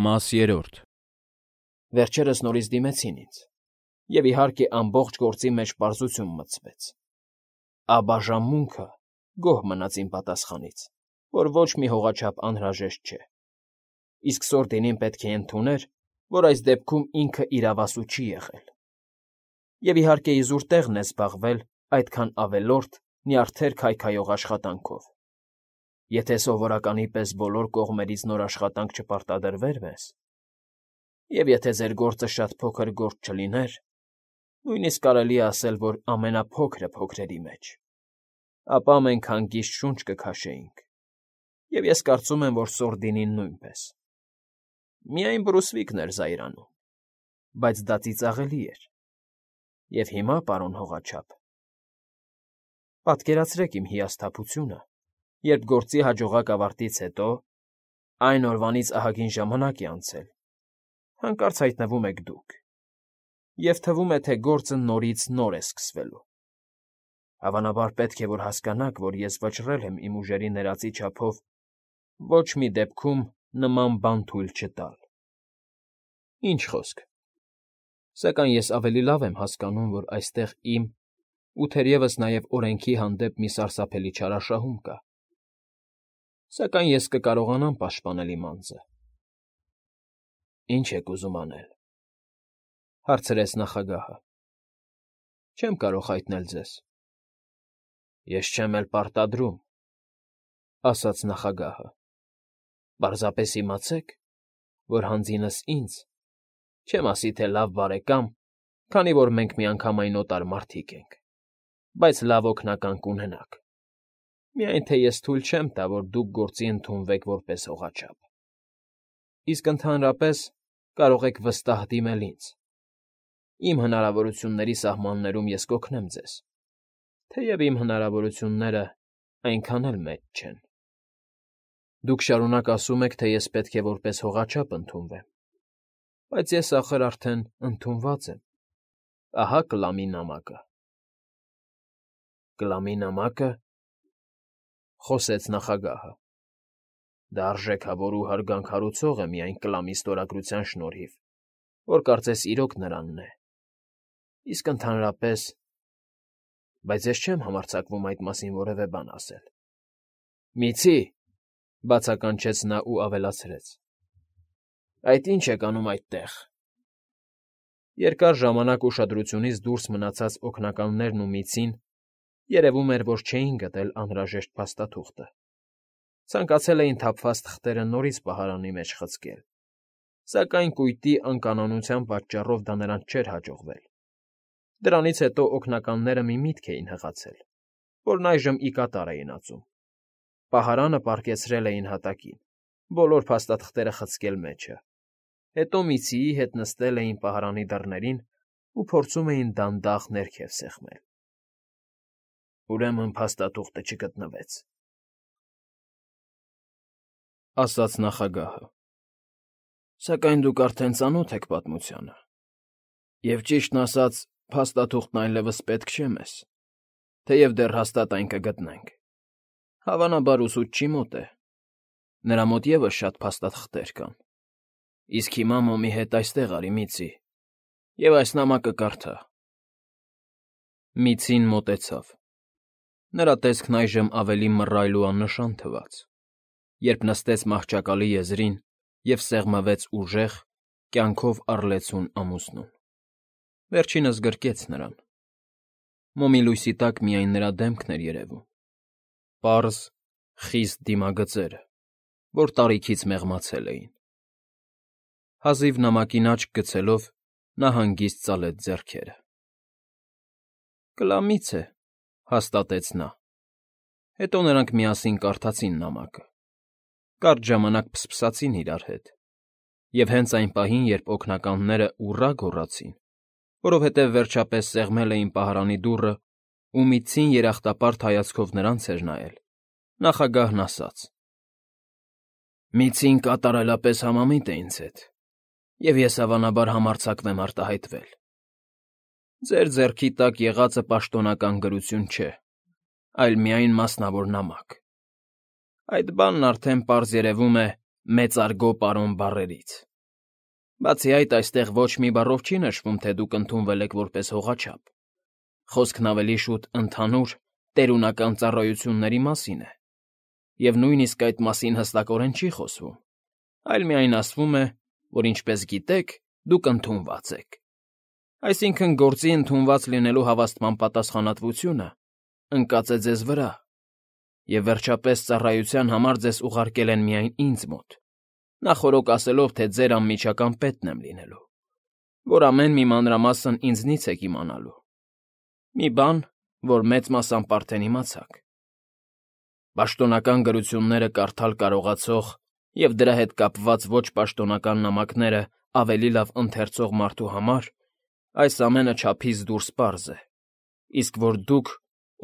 Մաս 3 Վերջերս նորից դիմեցին ինձ, և իհարկե ամբողջ գործի մեջ պարզություն մտցվեց. աբաժանմունքը գոհ մնաց իմ պատասխանից, որ ոչ մի հողաչափ անհրաժեշտ չէ, իսկ Սորդինին պետք է ընդուներ, որ այս դեպքում ինքը իրավասու չի եղել, և իհարկե իզուր տեղն է զբաղվել այդքան ավելորդ, նյարդեր քայքայող աշխատանքով. Եթե սովորականի պես բոլոր կողմերից նոր աշխատանք չպարտադրվեր մեզ, և եթե ձեր գործը շատ փոքր գործ չլիներ, նույնիսկ կարելի է ասել, որ ամենափոքրը փոքրերի մեջ, ապա մենք հանգիստ շունչ կքաշեինք, և ես կարծում եմ, որ Սորդինին նույնպես. միայն բռուսվիկն էր զայրանում, բայց դա ծիծաղելի էր, և հիմա, պարոն հողաչափ, պատկերացրեք իմ հիասթափությունը, երբ գործի հաջողակ ավարտից հետո, այն օրվանից ահագին ժամանակ է անցել, հանկարծ հայտնվում եք դուք, և թվում է, թե գործը նորից նոր է սկսվելու. Հավանաբար պետք է, որ հասկանաք, որ ես վճռել եմ իմ ուժերի ներածի չափով ոչ մի դեպքում նման բան թույլ չտալ։ Ինչ խոսք, սակայն ես ավելի լավ եմ հասկանում, որ այստեղ իմ ու թերևս նաև օրենքի հանդեպ մի սարսափելի չարաշահում կա, սակայն ես կկարողանամ պաշտպանել իմ անձը։ Ինչ եք ուզում անել, հարցրեց նախագահը։ Չեմ կարող հայտնել ձեզ։ Ես չեմ էլ պարտադրում, ասաց նախագահը։ Պարզապես իմացեք, որ հանձինս ինձ, չեմ ասի թե լավ բարեկամ, քանի որ մենք միանգամայն օտար մարդիկ ենք, բայց լավ օգնական կունենաք, միայն թե ես թույլ չեմ տա, որ դուք գործի ընդունվեք որպես հողաչափ։ Իսկ ընդհանրապես կարող եք վստահ դիմել ինձ. իմ հնարավորությունների սահմաններում ես կօգնեմ ձեզ, թեև իմ հնարավորությունները այնքան էլ մեծ չեն։ Դուք շարունակ ասում եք, թե ես պետք է որպես հողաչափ ընդունվեմ, բայց ես ախր արդեն ընդունված եմ, ահա կլամի նամակը։ Կլամի նամակը, խոսեց նախագահը, դա արժեքավոր ու հարգանք է միայն կլամի ստորագրության շնորհիվ, որ կարծես իրոք նրանն է, իսկ ընդհանրապես, բայց ես չեմ համարձակվում այդ մասին որևէ բան ասել։ Միցի, բացականչեց նա ու ավելացրեց. այդ ինչ եք անում այդտեղ։ Երկար ժամանակ ուշադրությունից դուրս մնացած օգնականներն ու միցին երևում էր, որ չէին գտել անհրաժեշտ փաստաթուղթը, ցանկացել էին թափված թղթերը նորից պահարանի մեջ խցկել, սակայն կույտի անկանոնության պատճառով դա նրանց չէր հաջողվել։ Դրանից հետո օգնականները մի միտք էին հղացել, որն այժմ ի կատար էին ածում։ Պահարանը պառկեցրել էին հատակին, բոլոր փաստաթղթերը խցկել մեջը, հետո միցիի հետ նստել էին պահարանի դռներին ու փորձում էին դանդաղ ներքև սեղմել։ Ուրեմն փաստաթուղթը չգտնվեց, ասաց նախագահը, սակայն դուք արդեն ծանոթ եք պատմությանը, և ճիշտն ասած, փաստաթուղթն այլևս պետք չէ մեզ, թեև դեռ հաստատ այն կգտնենք։ Հավանաբար ուսուցչի մոտ է, նրա մոտ ևս շատ փաստաթղթեր կան, իսկ հիմա մոմի հետ այստեղ արի, միցի, և այս նամակը կարդա։ Միցին մոտեցավ։ Նրա տեսքն այժմ ավելի մռայլ ու աննշան թվաց, երբ նստեց մահճակալի եզրին և սեղմվեց ուժեղ, կյանքով առլեցուն ամուսնուն։ Վերջինս գրկեց նրան։ Մոմի լույսի տակ միայն նրա դեմքն էր երևում, պարզ, խիստ դիմագծերը, որ տարիքից մեղմացել էին։ Հազիվ նամակին աչք գցելով, նա հանգիստ ծալեց ձեռքերը։ Կլամից է, հաստատեց նա։ Հետո նրանք միասին կարդացին նամակը։ Կարճ ժամանակ փսփսացին իրար հետ, և հենց այն պահին, երբ օգնականները ուռա գոռացին, որովհետև վերջապես սեղմել էին պահարանի դուռը ու միցին երախտապարտ հայացքով նրանց էր նայել, նախագահն ասաց. Միցին կատարելապես համամիտ է ինձ հետ, և ես հավանաբար համարձակվեմ արտահայտվել։ Ձեր ձեռքի տակ եղածը պաշտոնական գրություն չէ, այլ միայն մասնավոր նամակ։ Այդ բանն արդեն պարզ երևում է մեծարգո պարոն բառերից։ Բացի այդ, այստեղ ոչ մի բառով չի նշվում, թե դուք ընդունվել եք որպես հողաչափ։ Խոսքն ավելի շուտ ընդհանուր, տերունական ծառայությունների մասին է, և նույնիսկ այդ մասին հստակորեն չի խոսվում, այլ միայն ասվում է, որ ինչպես գիտեք, դուք ընդունված եք։ Այսինքն գործի ընդունված լինելու հավաստման պատասխանատվությունը ընկած է ձեզ վրա, և վերջապես ծառայության համար ձեզ ուղարկել են միայն ինձ մոտ, նախօրոք ասելով, թե ձեր անմիջական պետն եմ լինելու, որ ամեն մի մանրամասն ինձնից եք իմանալու։ Մի բան, որ մեծ մասամբ արդեն իմացաք։ Պաշտոնական գրությունները կարդալ կարողացող և դրա հետ կապված ոչ պաշտոնական նամակները ավելի լավ ընթերցող մարդու համար այս ամենը չափից դուրս պարզ է, իսկ որ դուք,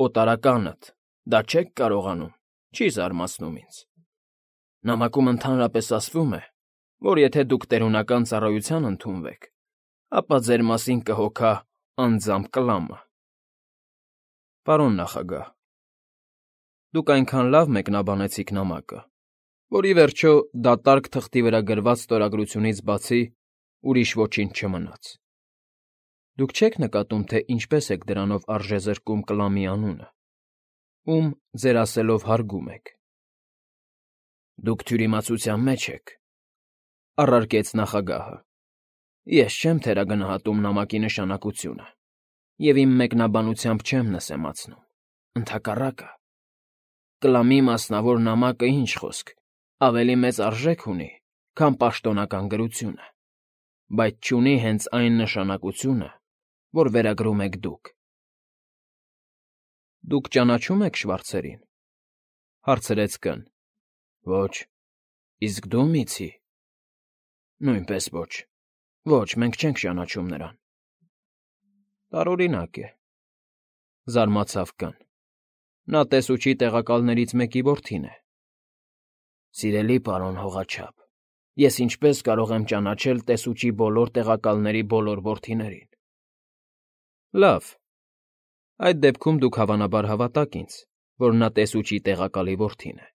օտարականդ, դա չեք կարողանում, չի զարմացնում ինձ։ Նամակում ընդհանրապես ասվում է, որ եթե դուք տերունական ծառայության ընդունվեք, ապա ձեր մասին կհոգա անձամբ կլամը։ Պարոն նախագահ, դուք այնքան լավ մեկնաբանեցիք նամակը, որ ի վերջո դատարկ թղթի վրա գրված ստորագրությունից բացի ուրիշ ոչինչ չմնաց։ Դուք չեք նկատում, թե ինչպես եք դրանով արժեզրկում կլամի անունը, ում ձեր ասելով հարգում եք։ Դուք թյուրիմացության մեջ եք, առարկեց նախագահը։ Ես չեմ թերագնահատում նամակի նշանակությունը և իմ մեկնաբանությամբ չեմ նսեմացնում, ընդհակառակը, կլամի մասնավոր նամակը, ինչ խոսք, ավելի մեծ արժեք ունի, քան պաշտոնական գրությունը, բայց չունի հենց այն նշանակությունը, որ վերագրում եք դուք։ Դուք ճանաչում եք Շվարցերին, հարցրեց կն։ Ոչ, իսկ դու, Միցի։ Նույնպես ոչ, ոչ, մենք չենք ճանաչում նրան։ Տարօրինակ է, զարմացավ կն։ Նա տեսուչի տեղակալներից մեկի որդին է։ Սիրելի պարոն հողաչափ, ես ինչպես կարող եմ ճանաչել տեսուչի բոլոր տեղակալների բոլոր որդիներին։ Լավ, այդ դեպքում դուք հավանաբար հավատաք ինձ, որ նա տեսուչի տեղակալի որդին է։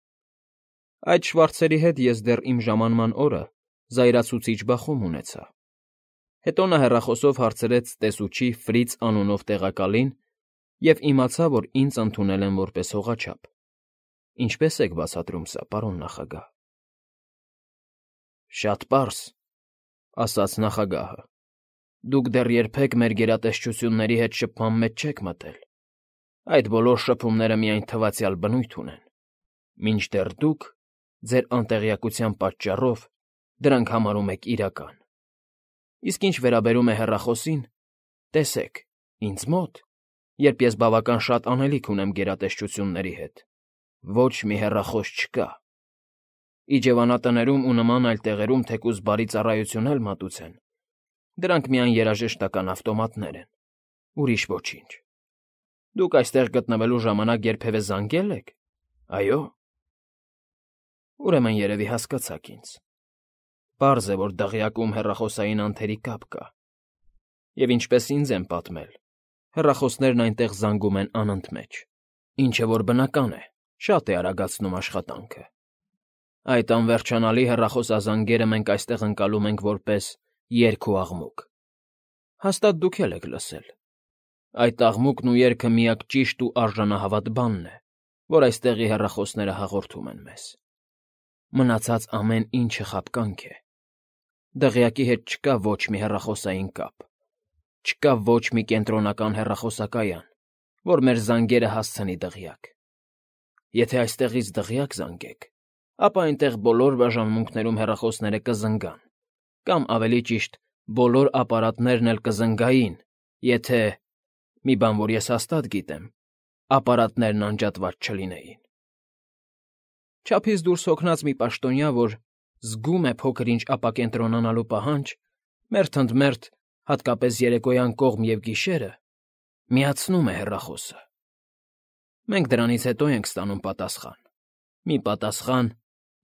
Այդ Շվարցերի հետ ես դեռ իմ ժամանման օրը զայրացուցիչ բախում ունեցա։ Հետո նա հեռախոսով հարցրեց տեսուչի Ֆրից անունով տեղակալին և իմացա, որ ինձ ընդունել են որպես հողաչափ։ Ինչպե՞ս եք բացատրում սա, պարոն նախագահ։ Շատ պարզ, ասաց նախագահը։ Դուք դեռ երբեք մեր գերատեսչությունների հետ շփման մեջ չեք մտել։ Այդ բոլոր շփումները միայն թվացյալ բնույթ ունեն, մինչդեռ դուք, ձեր անտեղյակության պատճառով, դրանք համարում եք իրական։ Իսկ ինչ վերաբերում է հեռախոսին, տեսեք, ինձ մոտ, երբ ես բավական շատ անելիք ունեմ գերատեսչությունների հետ, ոչ մի հեռախոս չկա։ Իջևանատներում ու նման այլ տեղերում թեկուզ բարի ծառայություն էլ մատուցեն, դրանք միայն երաժշտական ավտոմատներ են, ուրիշ ոչինչ։ Դուք այստեղ գտնվելու ժամանակ երբևէ զանգե՞լ եք։ Այո։ Ուրեմն երևի հասկացաք ինձ։ Պարզ է, որ դղյակում հեռախոսային անթերի կապ կա։ Եվ ինչպես ինձ են պատմել, հեռախոսներն այնտեղ զանգում են անընդմեջ, ինչը որ բնական է, շատ է արագացնում աշխատանքը։ Այդ անվերջանալի հեռախոսազանգերը մենք այստեղ ընկալում ենք որպես երգ ու աղմուկ։ Հաստատ դուք էլ եք լսել։ Այդ աղմուկն ու երգը միակ ճիշտ ու արժանահավատ բանն է, որ այստեղի հեռախոսները հաղորդում են մեզ։ Մնացած ամեն ինչը խաբկանք է։ Դղյակի հետ չկա ոչ մի հեռախոսային կապ, չկա ոչ մի կենտրոնական հեռախոսակայան, որ մեր զանգերը հասցնի դղյակ։ Եթե այստեղից դղյակ զանգեք, ապա այնտեղ բոլոր բաժանմունքներում հեռախոսները կզնգան, կամ ավելի ճիշտ, բոլոր ապարատներն էլ կզնգային, եթե, մի բան, որ ես հաստատ գիտեմ, ապարատներն անջատված չլինեին։ Չափից դուրս հոգնած մի պաշտոնյա, որ զգում է փոքր-ինչ ապակենտրոնանալու պահանջ, մերթ ընդ մերթ, հատկապես երեկոյան կողմ և գիշերը, միացնում է հեռախոսը։ Մենք դրանից հետո ենք ստանում պատասխան։ Մի պատասխան,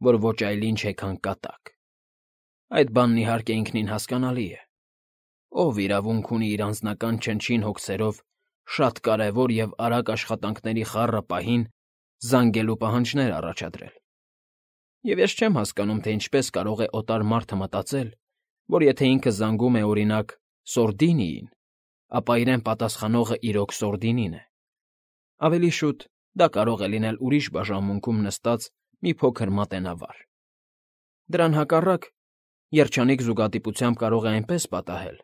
որ ոչ այլ ինչ է, քան կատակ։ Այդ բանն իհարկե ինքնին հասկանալի է։ Ով իրավունք ունի իր անձնական չնչին հոգսերով շատ կարևոր և արագ աշխատանքների խառը պահին զանգելու պահանջներ առաջադրել։ Եվ ես չեմ հասկանում, թե ինչպես կարող է օտար մարդը մտածել, որ եթե ինքը զանգում է, օրինակ, Սորդինիին, ապա իրեն պատասխանողը իրոք Սորդինին է։ Ավելի շուտ դա կարող է լինել ուրիշ բաժանմունքում նստած մի փոքր մատենավար։ Դրան հակառակ, երջանիկ զուգադիպությամբ կարող է այնպես պատահել,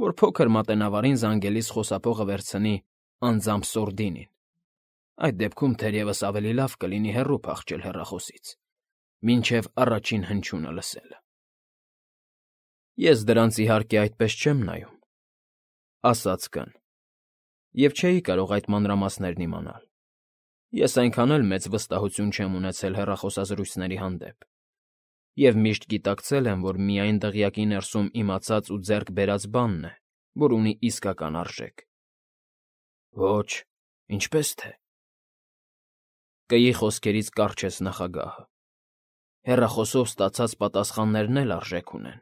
որ փոքր մատենավարին զանգելիս խոսափողը վերցնի անձամբ Սորդինին։ Այդ դեպքում թերևս ավելի լավ կլինի հեռու փախչել հեռախոսից, մինչև առաջին հնչյունը լսելը։ Ես դրանց իհարկե այդպես չեմ նայում, ասաց Կն, և չէի կարող այդ մանրամասներն իմանալ։ Ես այնքան էլ մեծ վստահություն չեմ ունեցել հեռախոսազրույցների հանդեպ, և միշտ գիտակցել եմ, որ միայն դղյակի ներսում իմացած ու ձեռք բերած բանն է, որ ունի իսկական արժեք։ Ոչ, ինչպես թե։ Կգի խոսքերից կառչեց նախագահը։ Հեռախոսով ստացած պատասխաններն էլ արժեք ունեն։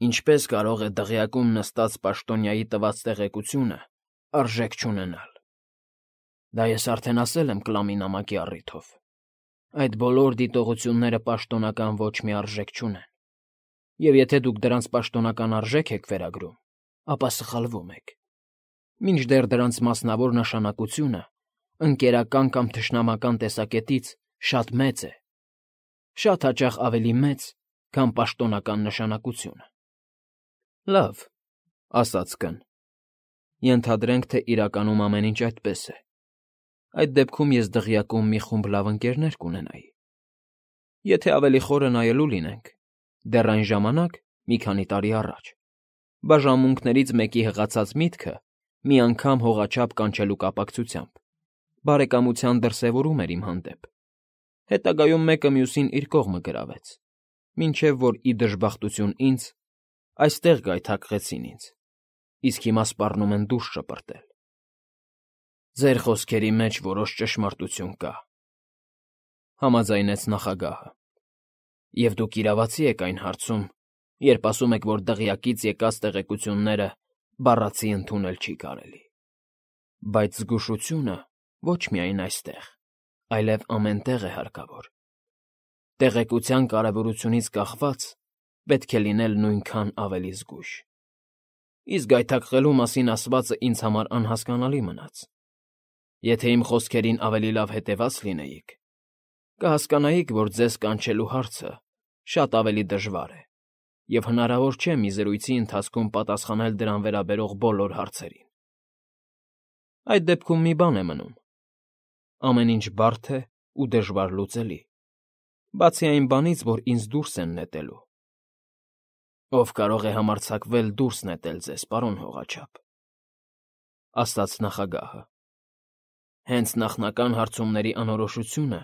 Ինչպես կարող է դղյակում նստած պաշտոնյայի տված տեղեկությունը արժեք չունենալ։ Դա ես արդեն ասել եմ Կլամի նամակի առիթով։ Այդ բոլոր դիտողությունները պաշտոնական ոչ մի արժեք չունեն։ Եվ եթե դուք դրանց պաշտոնական արժեք եք վերագրում, ապա սխալվում եք։ Մինչդեռ դրանց մասնավոր նշանակությունը ընկերական կամ թշնամական տեսակետից շատ մեծ է, շատ հաճախ ավելի մեծ, քան պաշտոնական նշանակությունը։ Լավ, ասաց Կն։ Ենթադրենք, թե իրականում ամեն ինչ այդպես է։ Այդ դեպքում ես դղյակում մի խումբ լավ ընկերներ կունենայի։ Եթե ավելի խորը նայելու լինենք, դեռ այն ժամանակ, մի քանի տարի առաջ, բաժանմունքներից մեկի հղացած միտքը մի անգամ հողաչափ կանչելու կապակցությամբ բարեկամության դրսևորում էր իմ հանդեպ։ Հետագայում մեկը մյուսին իր կողմը գրավեց, մինչև որ ի դժբախտություն ինձ այստեղ գայթակղեցին ինձ, իսկ հիմա սպառնում են դուրս շպրտել։ Ձեր խոսքերի մեջ որոշ ճշմարտություն կա, համաձայնեց նախագահը։ Եվ դուք իրավացի եք այն հարցում, երբ ասում եք, որ դղյակից եկած տեղեկությունները բառացի ընդունել չի կարելի։ Բայց զգուշությունը ոչ միայն այստեղ, այլև ամեն տեղ է հարկավոր։ Տեղեկության կարևորությունից կախված պետք է լինել նույնքան ավելի զգույշ։ Իսկ գայթակղելու մասին ասվածը ինձ համար անհասկանալի մնաց։ Եթե իմ խոսքերին ավելի լավ հետևած լինեիք, կհասկանայիք, որ ձեզ կանչելու հարցը շատ ավելի դժվար է, և հնարավոր չէ մի զրույցի ընթացքում պատասխանել դրան վերաբերող բոլոր հարցերին։ Այդ դեպքում մի բան է մնում. ամեն ինչ բարդ է ու դժվար լուծելի, բացի այն բանից, որ ինձ դուրս են նետելու։ Ով կարող է համարձակվել դուրս նետել ձեզ, պարոն հողաչափ, ասաց նախագահը։ Հենց նախնական հարցումների անորոշությունը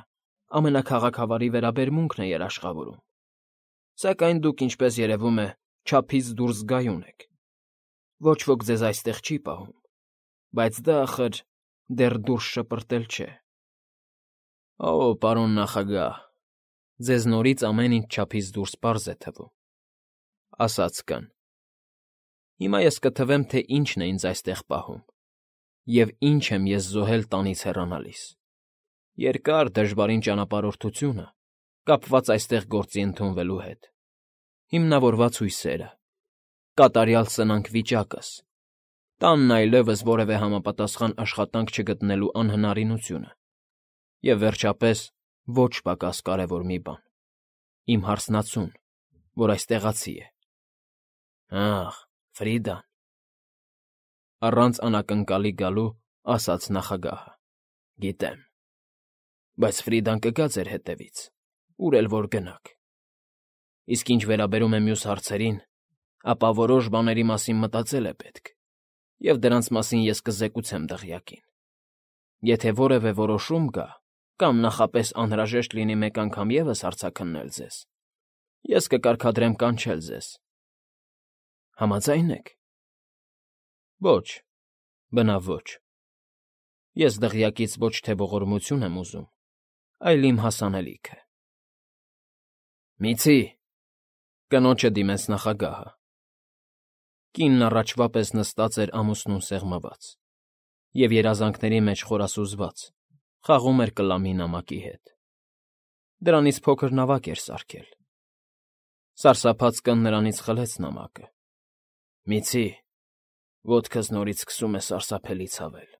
ամենաքաղաքավարի վերաբերմունքն է երաշխավորում, սակայն դուք, ինչպես երևում է, չափից դուրս զգայուն եք։ Ոչ ոք ձեզ այստեղ չի պահում, բայց դա, ախր, դեռ դուրս շպրտել չէ։ Օ, պարոն նախագահ, ձեզ նորից ամեն ինչ չափից դուրս պարզ է թվում, ասաց Կն։ Հիմա ես կթվեմ, թե ինչն է ինձ այստեղ պահում, և ինչ եմ ես զոհել տանից հեռանալիս։ Երկար, դժվարին ճանապարհորդությունը, կապված այստեղ գործի ընդունվելու հետ, հիմնավորված հույսերը, կատարյալ սնանք վիճակս, տանն այլևս որևէ համապատասխան աշխատանք չգտնելու անհնարինությունը, և վերջապես ոչ պակաս կարևոր մի բան. իմ հարսնացուն, որ այստեղացի է։ Ախ, Ֆրիդան… Առանց անակնկալի գալու ասաց նախագահը։ Գիտեմ։ Բայց Ֆրիդան կգա ձեր հետևից, ուր էլ որ գնաք։ Իսկ ինչ վերաբերում է մյուս հարցերին, ապա որոշ բաների մասին մտածել է պետք, և դրանց մասին ես կզեկուցեմ դղյակին։ Եթե որևէ որոշում գա, կամ նախապես անհրաժեշտ լինի մեկ անգամ ևս հարցաքննել ձեզ, ես կկարգադրեմ կանչել ձեզ։ Համաձա՞յն եք։ Ոչ, բնավ ոչ։ Ես դղյակից ոչ թե ողորմություն եմ ուզում, այլ իմ հասանելիքը։ Միցի… Կնոջը դիմեց նախագահը։ Կինն առաջվա պես նստած էր ամուսնուն սեղմված և երազանքների մեջ խորասուզված, խաղում էր Կլամի նամակի հետ։ Դրանից փոքր նավակ էր սարքել։ Սարսափած կն նրանից խլեց նամակը։ Միցի, ոտքս նորից սկսում է սարսափելի ցավել։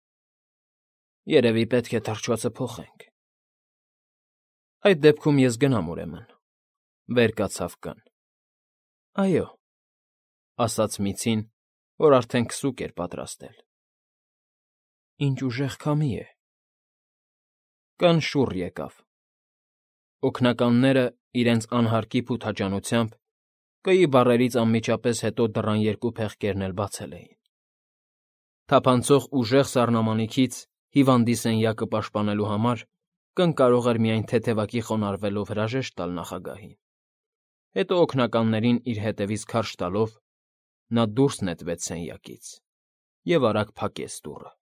Երևի պետք է թռչվածը փոխենք։ Այդ դեպքում ես գնամ ուրեմն, վեր կացավ կն։ Այո, ասաց միցին, որ արդեն քսուկ էր պատրաստել։ Ինչ ուժեղ քամի է։ Կն շուռ եկավ։ Օգնականները իրենց անհարկի փութաջանությամբ կայի բառերից անմիջապես հետո դռան երկու փեղկերն էլ բացել էին։ Թափանցող ուժեղ սառնամանիքից հիվանդի սենյակը պաշտպանելու համար կն կարող էր միայն թեթևակի խոնարհվելով հրաժեշտ տալ նախագահին։ Հետո օգնականներին իր հետևից քարշ տալով նա դուրս նետվեց սենյակից և արագ փակեց դուռը։